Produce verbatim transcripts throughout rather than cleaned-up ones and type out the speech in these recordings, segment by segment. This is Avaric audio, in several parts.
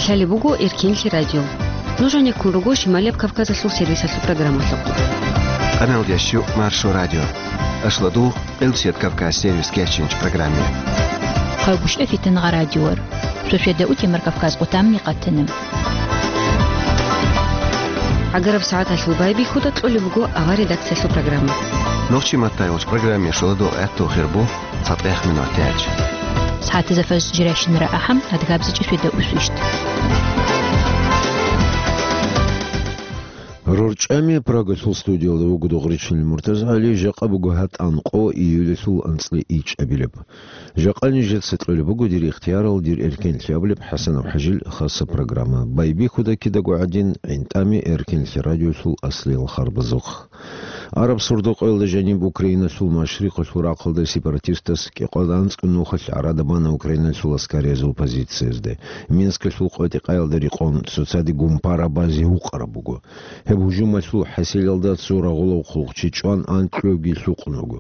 Лъалеб буго Эркенлъи радио. Нуж гьанеккун руго Шималияб Кавказалъул сервисалъул программалъухъ. Къаналдияс щу Маршо радио. Ашладу Къилсият Кавказ сервис кечинч программе. Хъалбушев Фитангъа радиор. Сосведа утемар Кавказ къутамни къатана. ГӀагараб сагӀаталъул байбихьуда кьолеб буго авар редакциялъул программа. Нохчи маттайулч программе шуладу гӀатту хирбу цатӀех минут тяч. СагӀатазда фаз жиращинара ахӀам, адгабзичӀи сосведа усвищт. РорчӀами Прагалъул студиялда вуго Дугъричил МуртазагӀали, жакъа буго гьатӀан къо июлалъул анцӀила ичӀабилеб. Жакъа нижеца кьолеб буго дир ихтиярал, дир эркенлъи абулеб ХӀасанов ХӀажил хаса программа. Байбихьуда кидаго гӀадин, гӀинтӀами Эркенлъи радиолъул аслиял харбазухъ. Араб сордо-къоялда жаниб Украиналъул машрикъалъул рахъалда сепаратистас кӀикъоялда анцӀго нухалъ гӀарада бана Украиналъул аскариязул позициязде. Минскалъул къватӀи-къаялда рекъон цоцаде гумпара базе гьукъараб буго. Гьеб гьужумалъул хӀасилалда цо рагъулав хъулухъчи чӀван анкьуги лъукъун вуго.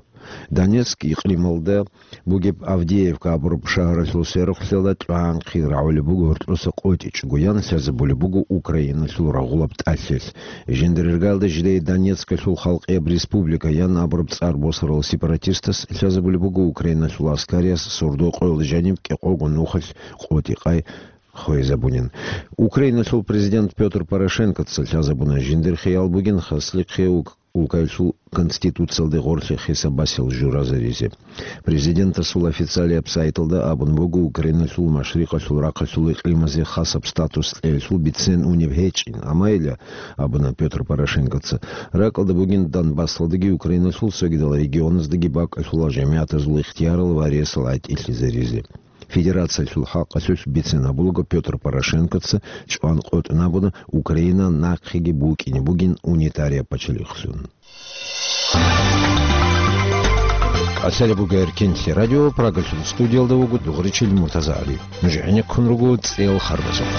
Донецк икълималда бугеб Авдеевка абураб шагьаралъул сверухълъиялда тӀагӀанхъи рагӀулеб буго гьоркьоса къотӀичӀого, ян лъазабулеб буго Украиналъул рагъулаб тӀалъилъ. Жиндир иргалда жидее Донецкалъул халкъияб республика ян абураб цӀар босарал сепаратистас лъазабулеб буго Украиналъул аскариялъ сордо-къоялда жаниб кӀикъого нухалъ къотӀи-къай хвезабунин. Украиналъул президент Пётр Порошенкоца лъазабуна жиндир хиял бугин хаслихъе ук-, улкаялъул конституциялде гъорлъе хисабасел журазаризе. Президентасул официалияб сайталда абун буго Украиналъул машрикъалъул рахъалъул икълимазе хасаб статус кьеялъул бицен унеб гьечӀин, амма ила, абуна Пётр Порошенкоца, ракӀалда бугин Донбассалдаги Украиналъул цогидал регионаздаги бакӀалъула жамигӀатазул ихтиярал ва ресал гӀатӀилъизаризе. Федерациялъул хӀакъалъулъ бицен гьабулаго Пётр Порошенкоца чӀван къотӀун абуна Украина нахъеги букӀине бугин унитарияб пачалихълъун. Кьалъалеб буго Эркенлъи радио, Прагалъул студиялда вуго Дугъричил МуртазагӀали. Нуж гӀенеккун руго цӀел харбазухъ.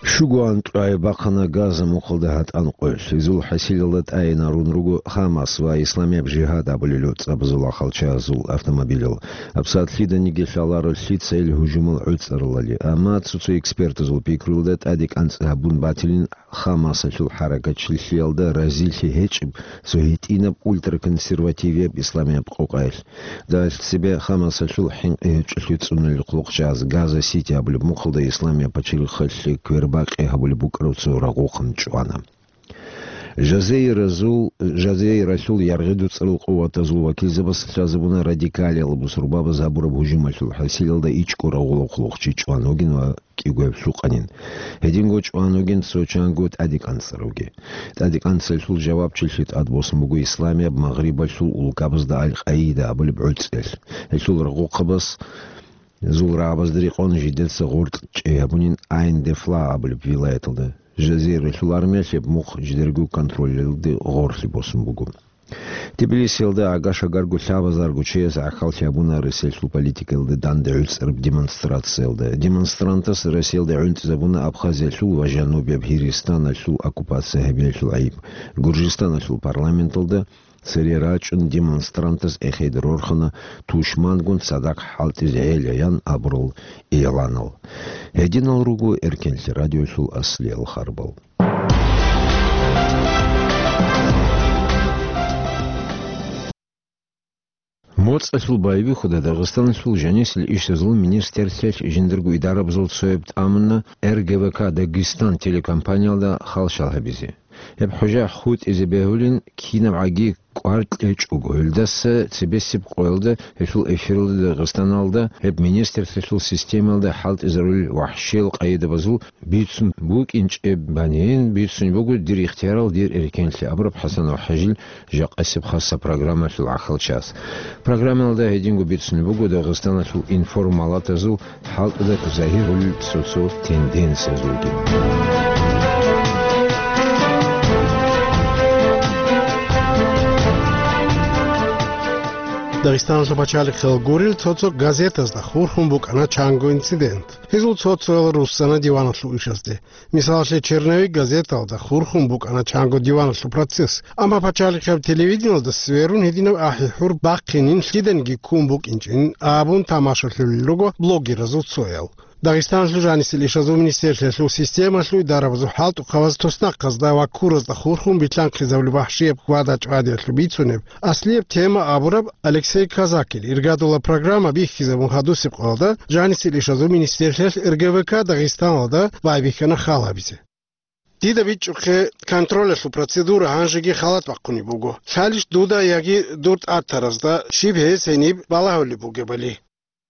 Щуго анкьай бахъана Газа мухъалда гьатӀан къоялъ. Изул хӀасилалда тӀайинарун руго Хамас ва Исламияб жигьад абулел цӀабазул ахалчазул автомобилал. ГьабсагӀат лъиданиги лъаларо лъица ил гьужумал гӀуцӀаралали, амма цо-цо экспертазул пикруялда тӀаде кӀанцӀ гьабун батилин Хамасалъул хӀаракатчилъиялда разилъи гьечӀеб цо гьитӀинаб ультраконсервативияб исламияб къокъаялъ. Дагьалъ цебе Хамасалъул хӀинкъи гьечӀолъи цӀунулел хъулухъчӀаз Газа-Сити абулеб мухъалда Исламияб пачалихъалъе квербакъи гьабулеб букӀараб цо рагъухъан чӀвана. Жазейразул, Жазейралъул яргъи дуцӀарал къуватазул вакилзабаз лъазабуна радикалиял бусурбабаз гьабураб гьужумалъул хӀасилалда ичӀго рагъулаб хъулухъчи чӀван вугин ва кӀигояб лъукъанин. Гьединго чӀван вугин цо чанго тӀаде кӀанцӀаравги. ТӀаде кӀанцӀалъул жавабчилъи тӀадбосун буго Исламияб Магърибалъул улкабазда Аль-Къаида абулеб гӀуцӀиялъ. Гьелъул рагъухъабаз зул рагӀабазда рекъон жидеца гъоркь чӀей гьабунин Айн-де-Фла абулеб вилаяталда. Жазиралъул армиялъ гьеб мухъ жидерго контролялде гъорлъе босун буго. Тбилисиялда агаш-агарго лъабазарго чияс гӀахьаллъи гьабуна Россиялъул политикаялда данде гӀуцӀараб демонстрациялда. Демонстрантас Россиялда гӀунтӀизабуна Абхазиялъул ва Жанубияб Гьиристаналъул оккупация гьабиялъул гӀайиб. Гуржистаналъул парламенталда цере рачӀун демонстрантас эхеде рорхана тушмангун цадахъ хӀалтӀизе гӀелаян абурал игъланал. Гьединал руго Эркенлъи радиолъул аслиял харбал. МоцӀалъул байбихьуда Дагъистаналъул жанисел ишазул министрлъиялъ жиндарго идарабазул цояб тӀамуна Р Г В К Дагестан телекомпаниялда халщал гьабизе. Гьеб хӀужа хутӀизе бегьулин, кинабгӀаги кӀвар кьечӀого, гьелдаса цебесеб къоялда гьелъул эфиралда Дагъистаналда гьеб министрлъиялъул системаялда хӀалтӀизарулел вахӀшиял къайдабазул бицун букӀинчӀеб банин бицун буго дир ихтиярал, дир эркенлъи абураб ХӀасанов ХӀажил жакъасеб хасса программалъул гӀахьалчас. Программалда гьединго бицун буго Дагъистаналъул информалатазул хӀалтӀуда загьирулел цо-цо тенденциязулги. Дагъистаналъул пачалихъал гурел цо-цо газетазда хурхун букӀана чанго инцидент. Гьезул цо-цоял руссана диваналъул ишазде. Мисалалъе, «Черновик» газеталда хурхун букӀана чанго диваналъул процесс. Амма пачалихъаб телевидениялда сверун гьединаб ахӀи-хӀур бахъинин лъиданиги ккун букӀинчӀин абун тамашалъулел руго блогеразул цоял. Дагъистаналъул жанисел ишазул министерствоялъул системалъул дарабазул хӀалтӀухъабаз туснахъазда ва ккуразда хурхун битлъанхъизабулеб вахӀшияб хьвада-чӀвадиялъул бицунеб аслияб тема абураб Алексей Казакил иргадула программа бихьизабун хадусеб къоялда жанисел ишазул министерствоялъ Р Г В К Дагъистаналда байбихьана хал гьабизе. Дида бичӀчӀухъе, контролялъул процедура гьанжеги халат бахъунеб буго. Лъалищ дуда яги дур тӀатаразда щиб гьез гьениб балагьулеб бугебали?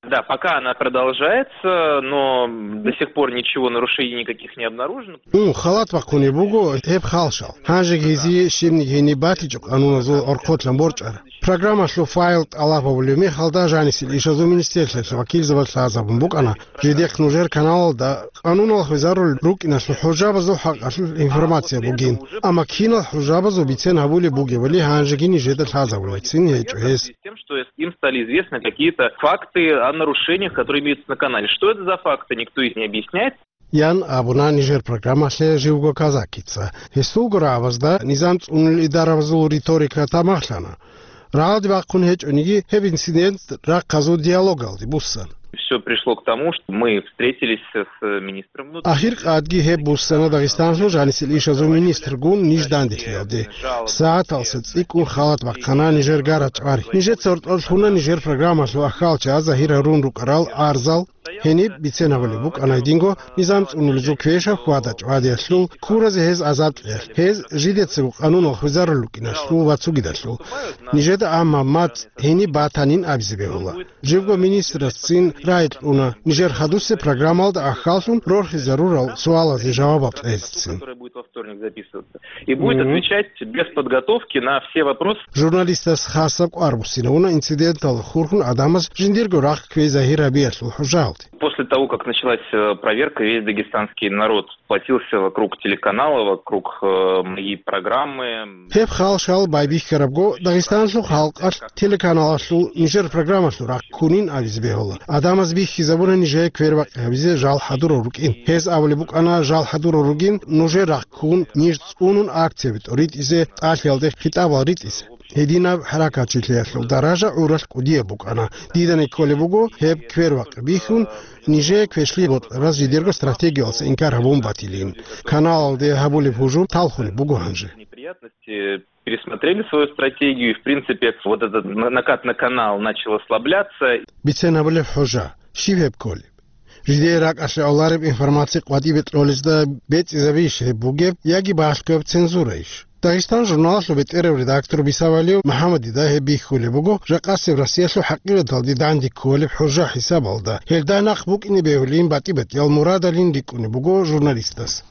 Да, пока она продолжается, но до сих пор ничего, нарушений никаких не обнаружено. Ун, халат бахъунеб буго гьеб халщал. Гьанжеги гьезие щибниги гьениб батичӀо къануназул гӀорхъолъан борчӀараб. Программалъул файл тӀалаб гьабулеб мехалда жанисел ишазул министерствоялъ вакилзабаз лъазабун букӀана, жидехъ нужер каналалда къануналъ хвезарулел рукӀиналъул хӀужабазул хӀакъалъулъ информация бугин, амма кинал хӀужабазул бицен гьабулеб бугебали гьанжеги нижеда лъазабулебцин гьечӀо гьес. Тем, что им стали известны какие-то факты о нарушениях, которые имеются на канале. Что это за факты, никто их не объясняет. Ян абуна нижер программалъе живго Казакица. Гьесулго рагӀабазда низам цӀунулел идарабазул риторика тамахлъана. Рагьалде бахъун гьечӀониги, гьеб инцидент рахъазул диалогалде буссан. Всё пришло к тому, что мы встретились с министром внутренних. Ахир къадги гьеб буссана Дагъистаналъул жанисел ишазул министргун ниж данделъиялде. СагӀаталса цӀикӀкӀун халат бахъана нижер гарачӀвари. Нижеца гьоркьор лъуна нижер программалъул ахьалча загьир гьарун рукӀарал арзал. Гьениб бицен гьабулеб букӀана гьединго низам цӀунулезул квешаб хьвада-чӀвадиялъул, ккуразе гьез азаб кьеялъ, гьез жидецаго къануналъ хвезарулел рукӀиналъул ва цогидалъул. Нижеда амма мацӀ гьениб батанин абизе бегьула. Живго министрасцин рагӀи кьуна нижер хадусеб программалда ахьаллъун рорхизарурал суалазе жавабал кьезецин. И будет отвечать без подготовки на все вопросы. Журналистас хасаб кӀвар буссинавуна инциденталда хурхун гӀадамаз жиндирго рахъ кквей загьир гьабиялъул хӀужалде. После того, как началась, э, проверка, весь дагестанский народ сплотился вокруг телеканала, вокруг, э, моей программы. Гьеб халщал байбихьарабго Дагъистаналъул халкъалъ телеканалалъул нижер программалъул рахъ ккунин абизе бегьула. ГӀадамаз бихьизабуна нижее квербакъи гьабизе жал хӀадурал рукӀин. Гьез абулеб букӀана жал хӀадурал ругин, нужер рахъ ккун, ниж цӀунун акцияби тӀоритӀизе, тӀалъиялде хитӀабал ритӀизе. Гьединаб хӀаракатчилъиялъул даража гӀуралъ кӀудияб букӀана. Дида кколеб буго, гьеб квербакъи бихьун, нижее квешлъи бокьараз жидерго стратегиялъа инкар гьабун батилин. Каналалде гьабулеб гьужум талхунеб буго гьанже. Пересмотрели свою стратегию, и, в принципе, вот этот на-, накат на канал начал ослабляться. Бицен гьабулеб хӀужа, щиб гьеб кколеб? Жидее ракӀалъе гӀолареб информация къватӀибе кьолезда бецӀизабищ гьеб бугеб яги балъгояб цензураищ? Дагъистан журналалъул бетӀерав редактор Бисавалиев МухӀаммадида гьеб бихьулеб буго, жакъасеб Россиялъул хӀакъикъаталде данде кколеб хӀужа хӀисабалда. Гьелда нахъ букӀине бегьулин батӀи-батӀиял мурадалин рикӀкӀунеб буго журналистас.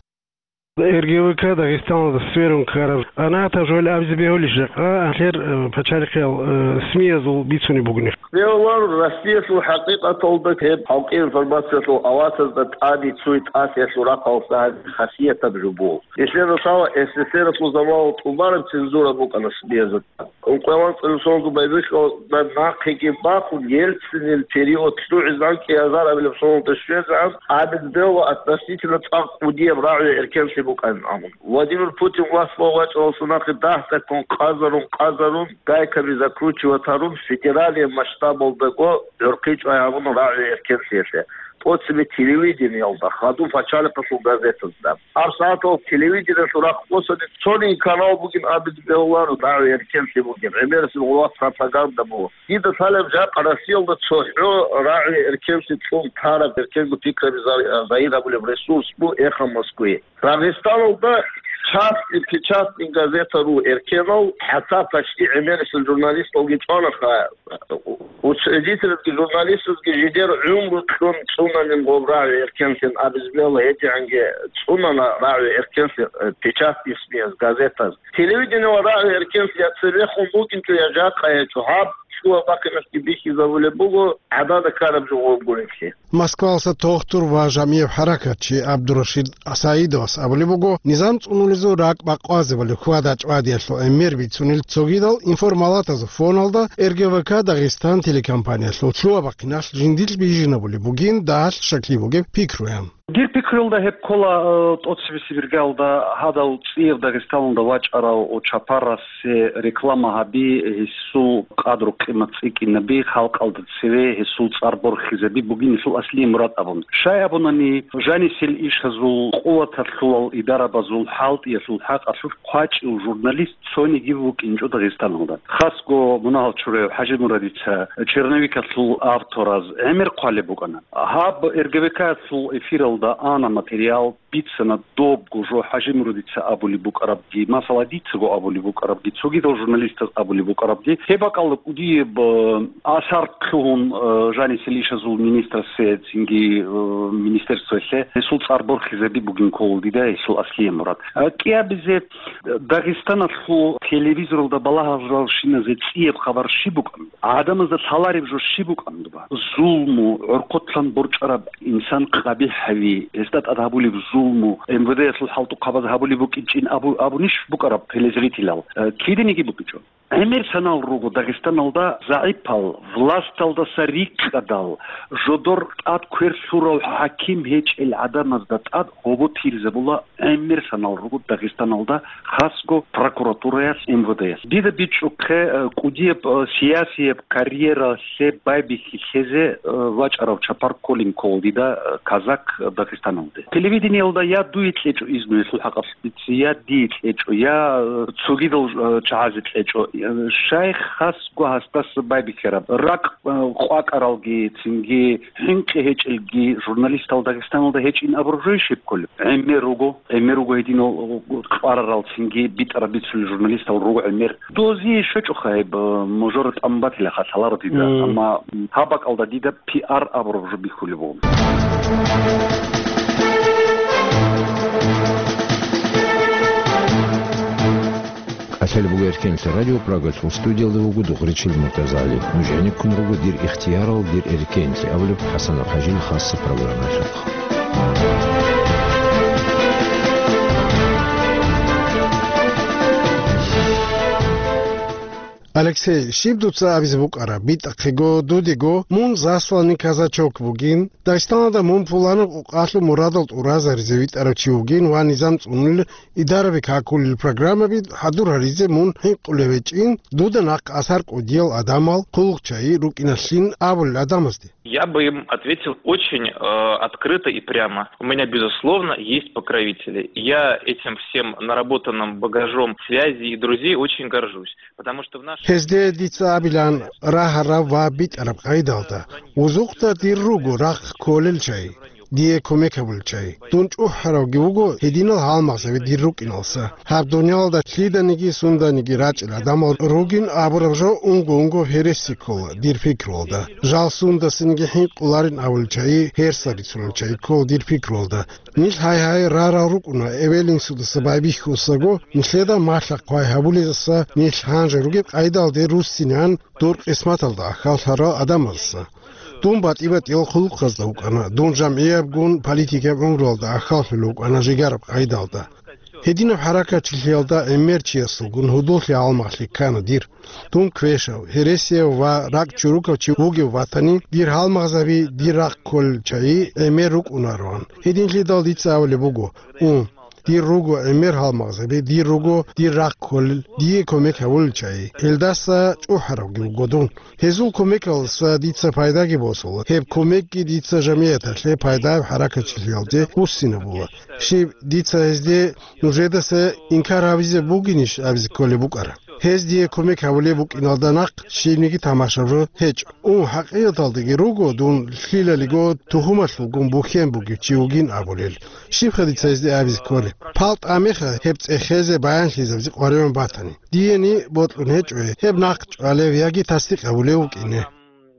Р Г В К Дагъистаналда сверун ккараб къанагӀатаб жо абизе бегьулищ жакъа, гьалъер, э, пачалихъиял, э, СМИ-язул бицунеб бугони. Бегьуларо, Россиялъул хӀакъикъаталда гьеб халкъи информациялъул аватазда тӀаде цуй тӀасиялъул рахъалъа гьаб хасиятаб жо буго. Нилъер росала С С Р-алъул заманалда тӀубараб цензура букӀана СМИ-язда. Ункъоялда цӀинусолда байбихьулда нахъеги бахун, Ельцинил период лъугӀизегӀан кӀиазар абилеб соналда щвезегӀан абизе бегьула относительно цӀакъ кӀудияб рагӀи-эркенлъи букӀанин абун. Владимир Путин власть вачӀаралдаса нахъе дагь-дагьккун къазарун-къазарун, гайкаби закручивать гьарун, федералияб масштабалдаго гӀурхъи чӀвай гьабуна рагӀи-эркенлъиялъе. ТӀоцебе телевидениялда, хадуб пачалихъалъул газетазда. ГьабсагӀатал телевидениялъул рахъ босани цониги канал бугин абизе бегьуларо, рагӀи-эркенлъи бугин, гӀемерисел гъулат пропаганда буго. Дида лъалеб жакъа Россиялда цохӀо рагӀи-эркенлъи кьун тараб эркенго пикраби за-, загьир гьабулеб ресурс буго «Эхо Москвы». Дагъистаналда частный, печатный газета ру эркенал, хӀатта почти гӀемерисел журналисталги чӀванаха. Учредительги, журналистазги жидер гӀумру кьун цӀунанин гъоб рагӀи-эркенлъин абизе бегьула, гьедигӀанги цӀунана рагӀи-эркенлъи, э, печатный СМИ-яз, газетаз. Телевидениялъул рагӀи-эркенлъи я цебехун букӀинчӀо, я жакъа гьечӀо, гьаб лъугьа-бахъиналъги бихьизабулеб буго гӀадада ккараб жо гъоб гурелъи. Москвалъа тохтур ва жамияб хӀаракатчи ГӀабдурашид Саидовас абулеб буго, низам цӀунулезул ракӀ бакъвазабали хьвада-чӀвадиялъул гӀемер бицунел цогидал информалатазул фоналда Р Г В К Дагъистан телекомпаниялъул лъугьа-бахъиналъ жиндилъ бижинабулеб бугин дагьалъ щаклъи бугеб пикруян. Дир пикруялда гьеб ккола, э, тӀоцебесеб иргаялда гьадав цӀияб Дагъистаналда вачӀарав Чапарасе реклама гьаби, гьесул къадру-къимат цӀикӀкӀинаби, халкъалда цеве гьесул цӀар борхизаби бугин гьесул аслияб мурад абун. Щай абунани, жанисел ишазул, къуваталъулал идарабазул, хӀалтӀиялъул хӀакъалъулъ хъвачӀев журналист цониги вукӀинчӀо Дагъистаналда. Хасго мунагьал чураяв ХӀажимурадица черновикалъул автораз гӀемер хъвалеб букӀана. Гьаб РГВК-ялъул эфиралда ана материал, бицана добго жо ХӀажимурадица абулеб букӀарабги, масала, дицаго абулеб букӀарабги, цогидал журналистаз абулеб букӀарабги. Гьеб бакӀалда кӀудияб, э, асар лъугьун, э, жанисел ишазул министрасе, цинги, э, министерствоялъе гьесул цӀар борхизаби бугин ккола дида гьесул аслияб мурад. Э, кӀиабизе Дагъистаналъул телевизоралда балагьаралщиназе цӀияб хабар щиб букӀан? ГӀадамазда лъалареб жо щиб букӀан дуба? Зулму, гӀорхъотлъан борчӀараб инсан къабихӀ гьави, гьесда тӀад гьабулеб зулму, МВД-ялъул хӀалтӀухъабаз гьабулеб букӀинчӀин абу-, абунищ букӀараб телезрителал? Э, киданиги букӀинчӀо. ГӀемер санал руго Дагъистаналда загӀипал, власталдаса рикӀкӀадал, жодор тӀад квер лъурав хӀаким гьечӀел гӀадамазда тӀад гьобо тирзабула гӀемер санал руго Дагъистаналда, хасго прокуратураялъ, МВД-ялъ. Дида бичӀчӀухъе, э, кӀудияб, э, сиясияб карьералъе байбихьи лъезе, э, вачӀарав чапар кколин ккола дида, э, казак Дагъистаналде. Телевидениялда я дуе кьечӀо изну гьелъул хӀакъалъулъ, я дие кьечӀо, я, э, цогидал, э, чагӀазе кьечӀо. Э, щай хасго гьасдаса байбихьараб? Ракъ, э, къвакӀаралги, цинги хӀинкъи гьечӀелги журналистал Дагъистаналда гьечӀин абураб жо щиб кколеб? ГӀемер руго, гӀемер руго гьединал кьварарал, цинги битӀараб бицулел журналистал руго гӀемер. Дозие щвечӀоха гьеб, э, мажора тӀамун батилаха лъаларо дида, Мм. амма, м, гьаб бакӀалда дида пиар абураб жо бихьулеб буго. КӀалъалеб буго Эркенлъа радио, Прагалъул студиялда вуго Дугъричил МуртазагӀали. Нуж гӀенеккун руго «Дир ихтиярал, дир эркенлъи» абулеб ХӀасан ХӀажил хасса программаялъухъ. Алексей, щиб дуца абизе букӀараб? БитӀахъего, дудего, мун засланный казачок бугин. Дагъистаналда мун пуланаб къукъалъул мурадал тӀуразаризе витӀарав чи вугин ва низам цӀунулел, идараби какулел программаби хӀадур гьаризе мун хӀинкъулев гьечӀин, дуда нахъ асар кӀудиял адамал, хъулухъчагӀи рукӀиналъин абулел адамазде. Я бы им ответил очень, э, открыто и прямо. У меня, безусловно, есть покровители. Я этим всем наработанным багажом связей и друзей очень горжусь. Потому что в наше Гьезде дица абилан рагьараб ва битӀараб къайдалда, вузухъда дир руго рахъ кколел чагӀи, дие кумек гьабулел чагӀи. Дун чӀухӀаравги вуго гьединал гьалмагъзаби дир рукӀиналса. Гьаб дуниялалда лъиданиги сунданиги рачӀел гӀадамал ругин абураб жо унго-унго гьереси ккола дир пикруялда. Жал сундасаниги хӀинкъуларин абулел чагӀи, гьерса рицунел чагӀи ккола дир пикруялда. Нилъ гьай-гьай рарал рукӀуна, эвел-инсудаса байбихьусаго, нилъеда малъа-хъвай гьабулезаса нилъ гьанже ругеб къайдалде руссинан дур къисматалда ахьаллъарал адамазаса. Дун батӀи-батӀиял хъулухъазда вукӀана, дун жамгӀиябгун политикияб гӀумруялда ахьаллъулев вукӀана жигараб къайдалда. Гьединаб хӀаракатчилъиялда гӀемер чиясулгун гьудуллъи гьалмагълъи ккана дир. Дун квешав, гьересияв ва ракӀ чурукав чи вугев ватани, дир гьалмагъзаби дир рахъ кколел чагӀи гӀемер рукӀунароан. Гьединлъидал дица абулеб буго: «Ун, дир руго гӀемер гьалмагъзаби, дир руго дир рахъ кколел, дие кумек гьабулел чагӀи». Гьелдаса чӀухӀаравги вуго дун. Гьезул кумекалдаса дица пайдаги босула. Гьеб кумекги дица жамияталъе пайдаяб хӀаракатчилъиялде буссинабула. Щиб, дица гьезде нужедаса инкар гьабизе бугинищ абизе кколеб букӀара? Гьез дие кумек гьабулеб букӀиналда нахъ щибниги тамашаб жо гьечӀо. Ун, хӀакъикъаталдаги руго дун лъилалиго тухумалъулгун бухьен бугев чи вугин абулел. Щибха дица гьезде абизе кколеб? Пал тӀамеха гьеб цӀехезе баянлъизабизе къваригӀун батани. Диени бокьун гьечӀо гьеб нахъ чӀвалев яги тасдикъ гьабулев вукӀине.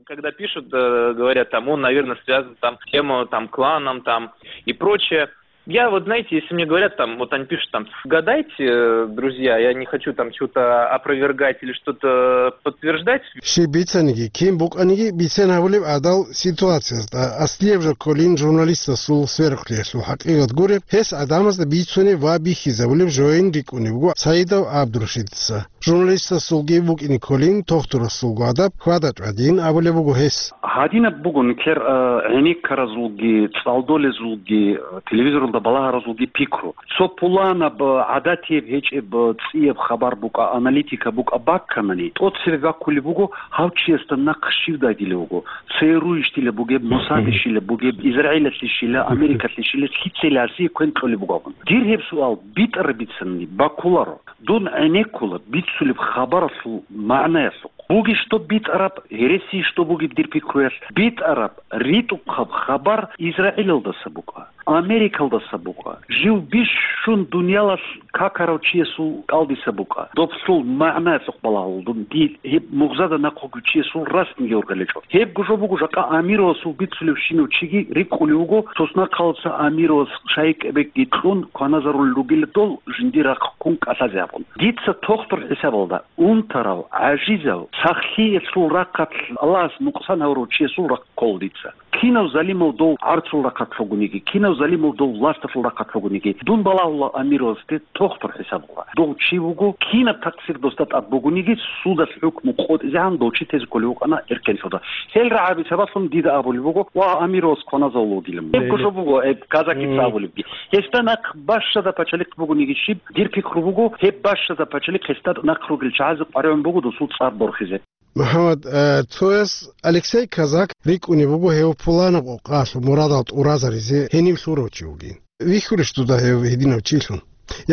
Когда пишут, э, говорят, там, он, наверное, связан там с тем, э, там, кланом, там, и прочее. Я вот, знаете, если мне говорят, там, вот они пишут, там, гадайте, э, друзья, я не хочу там что-то опровергать или что-то подтверждать. Щиб бицаниги, кин букӀаниги, бицен гьабулеб гӀадал ситуациязда, аслияб жо кколин журналистасул сверухълъиялъул хӀакъикъат гуреб, гьес гӀадамазда бицунеб ва бихьизабулеб жоян рикӀкӀунеб буго Саидов ГӀабдурашидица. Журналистасулги букӀине кколин, тохтурасулго адаб хьвада-чӀвадин абулеб буго гьес. Гьадинаб буго нилъер, э, гӀенеккаразулги, цӀалдолезулги, э, телевизоралда балагьаразулги пикру. Цо пуланаб, э, гӀадатияб гьечӀеб, э, цӀияб хабар букӀа, аналитика букӀа бакканани, тӀоцебе баккулеб буго, гьав чиясда нахъ щив дагьилев вуго, ЦРУ-йищила бугеб, Мосадищила бугеб, Израилалъищила, Америкалъищила, лъицайила гьасие квен кьолеб буго абун. Дир гьеб суал битӀараб бицани баккуларо. Дун гӀенеккула бицулеб хабаралъул магӀнаялъухъ. Бугищ доб битӀараб, гьереси ищ доб бугеб дир пикруялъ, битӀараб, ритӀухъаб хабар Израилалдаса букӀа, Америкалдаса букӀа, жив бищун дуниялалъ какарав чиясул кӀалдиса букӀа. Доблъул магӀнаялъухъ балагьул дун, дил гьеб мугъзада нахъ вугев чиясул расниги ургъелечӀо. Гьебго жо буго жакъа Амировасул бицулевщинав чиги рикӀкӀулев вуго, соснахъалца Амировас шайикӀабекги кьун кваназарулел ругила дол жиндир рахъ ккун кӀалъазе абун. Дица тохтур хӀисабалда, унтарав, гӀажизав, сахлъиялъул рахъалъ Аллагьас нукъсан гьавурав чиясул рахъ ккола дица. Кинав залимав дов гӀарцул рахъалъ вугониги, кинав залимав дов власталъул рахъалъ вугониги, дун балагьула Амировасде тохтур хӀисабалда. Дов чи вуго, кинаб такъсир досда тӀад бугониги, судалъ хӀукму къотӀизегӀан дов чи тезе кколев вукӀана эркенлъуда. Гьел рагӀаби сабаблъун дида абулеб буго, ва Амировас кваназавулев вугилан. Гьебго жо буго, гьеб казакица абулебги. Гьесда нахъ бащада пачалихъ бугониги щиб, дир пикру буго, гьеб бащада пачалихъ гьесда нахъ ругел чагӀазе къваригӀун буго досул цӀар борхизе. МухӀаммад, э, цояс Алексей Казак рикӀкӀунеб буго гьев пуланаб къокъалъ мурадал тӀуразаризе гьенив лъурав чи вугин. Вихьулищ дуда гьев гьединав чилъун?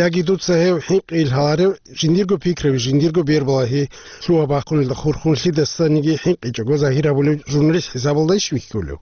Яги дуца гьев хӀинкъи ил гьаларев, жиндирго пикраби, жиндирго бербалагьи лъугьа-бахъунелда хурхун лъидасаниги хӀинкъичӀого загьир гьабулев журналист хӀисабалдайищ вихьулев?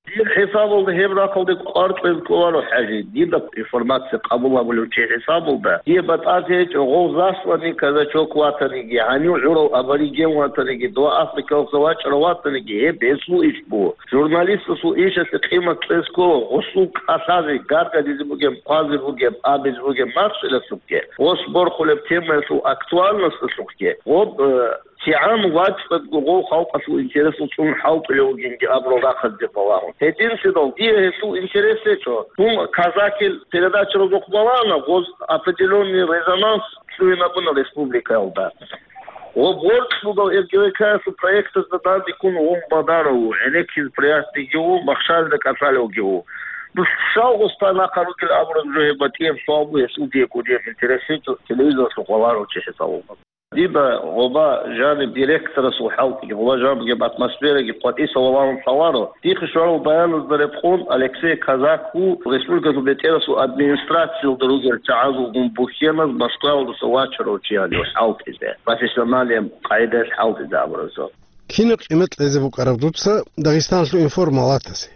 Дир хӀисабалда гьеб рахъалде кӀвар кьвез кӀоларо, ХӀажи, дида информация къабул гьабулев чи хӀисабалда. Дие батӀазе гьечӀо, гъов засланный казачок ватаниги, гьанив гӀурав абориген ватаниги, дова Африкалъа вачӀарав ватаниги, гьеб гьесул иш буго. Журналистасул ишалъе къимат кьез ккола, гъусул кӀалъазе, гаргадизе бугеб, хъвазе бугеб, абизе бугеб махщелалъухъе, гъос борхулеб темаялъул актуальносталъухъе, гъоб, э, КигӀан вацӀцӀадго гъов халкъалъул интересал цӀун хӀалтӀулев вугинги абурал рахъазде балагьун. Гьединлъидал дие гьелъул интерес гьечӀо. Дун казакил передачаразухъ балагьана, гъоз определённый резонанс лъугьинабуна республикаялда. Ва борцӀ бугав РГВК-ялъул проектазда данде ккун вун Бадаров ву, гӀенеккизе приятныйги ву, махщалда кӀалъалевги ву. Дус щал гъоста нахъа ругел абураб жо гьеб батӀияб суал бу, гьелъул дие кӀудияб интерес гьечӀо, телевизоралъухъ валарав чи хӀисабалда. Дида гъоба жаниб директорасул хӀалтӀиги, гъоба жаниб бугеб атмосфераги къватӀиса валарун лъаларо. Дихъе щварал баяназда рекъон, Алексей Казак ву республикалъул бетӀерасул администрациялда ругел чагӀазулгун бухьеназ Москваялдаса вачарав чи гьанив хӀалтӀизе, профессионалияб къагӀидаялъ хӀалтӀизе абуразул. Кинаб къимат кьезе букӀараб дуца Дагъистаналъул информалатасе?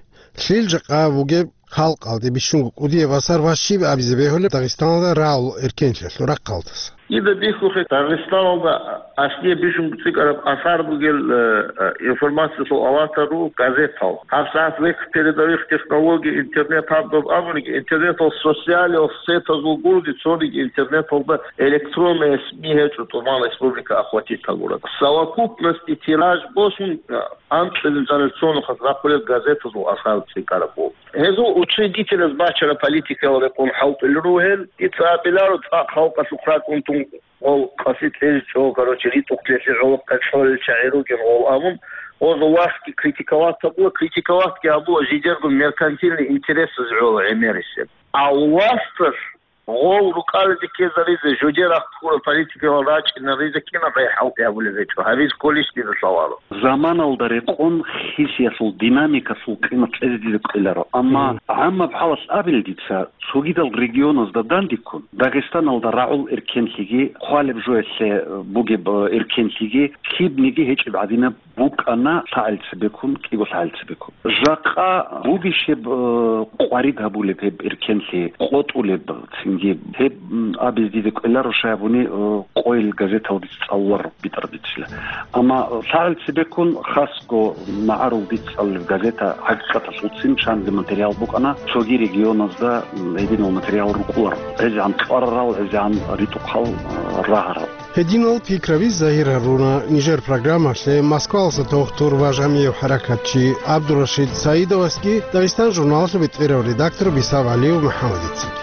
Лъил жакъа бугеб халкъалде бищунго кӀудияб асар ва щиб абизе бегьулеб Дагъистаналда рагӀул эркенлъиялъул рахъалдаса? Дида бихьухъе, Дагъистаналда аслие бищунго цӀикӀкӀараб асар бугел, э, э, информациялъул аватар руго газетал. ГьабсагӀат вехь передовых технологий, интернет гьаб доб абуниги, интернетал социалиялъул сетазул гурони цониги интернеталда электронные СМИ гьечӀо, тӀубан республика охватить гьабураб. Совокупность и тираж босун, э, анцӀила жанир цо нухалъ рахъулел газетазул асар цӀикӀкӀараб буго. Гьезул учредителаз бачараб политикаял рекъон хӀалтӀулел ругел, дица абиларо цӀакъ халкъалъухъ ракӀун тун гъол къаси кьезе чӀо, короче, ритӀухълъиялъе гӀолохъе кьолел чагӀи ругел гъол абун, гъозул властги критиковать гьабула, критиковатьги гьабула жидерго меркантильный интересаз гӀоло гӀемерисеб. А власталъ гъол рукӀализе ккезаризе, жуде рахъ ккураб политикалал рачӀинаризе кинаб гъай хӀалтӀи гьабулеб гьечӀо, гьабиз кколищ дида лъаларо. Заманалда рекъон хисиялъул динамикалъул къимат кьезе дида ккеларо, амма гӀаммаб хӀалалъ абил дица, цогидал регионазда дандеккун, Дагъистаналда рагӀул эркенлъиги, хъвалеб жоялъе бугеб эркенлъиги, лъибниги гьечӀеб гӀадинаб букӀана лъагӀел цебеккун, кӀиго лъагӀел цебеккун. Жакъа бугищеб, э, къварид гьабулеб гьеб эркенлъи, къотӀулеб цин? Гьеб, м, абизе дида кӀвеларо, щай гьабуни, э, къойил газетал дица цӀалуларо битӀараб бицила. Амма лъагӀел цебеккун хасго магӀарул дица цӀалулеб газета ХӀакъикъаталъулцин чанги материал букӀана, цоги регионазда, м, гьединал материал рукӀуларо. ГӀезегӀан кьварарал, гӀезегӀан ритӀухъал, э, рагьарал. Гьединал пикраби загьир гьаруна нижер программалъе Москваласа дохтур ва жамигӀ хӀаракатчи ГӀабдурашид Саидовасги Дагъистан журналалъул бетӀерав редактор Бисав ГӀалиев МухӀаммадицаги.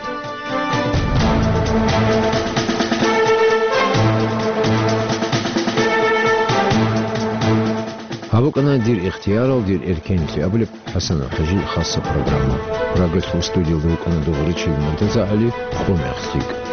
Гьаб букӀана «Дир ихтиярал, дир эркенлъи» абулеб ХӀасанов ХӀажил хасса программа. Радиолъул студиялда рукӀана Дугъричил МуртазагӀали, къо мехлъи.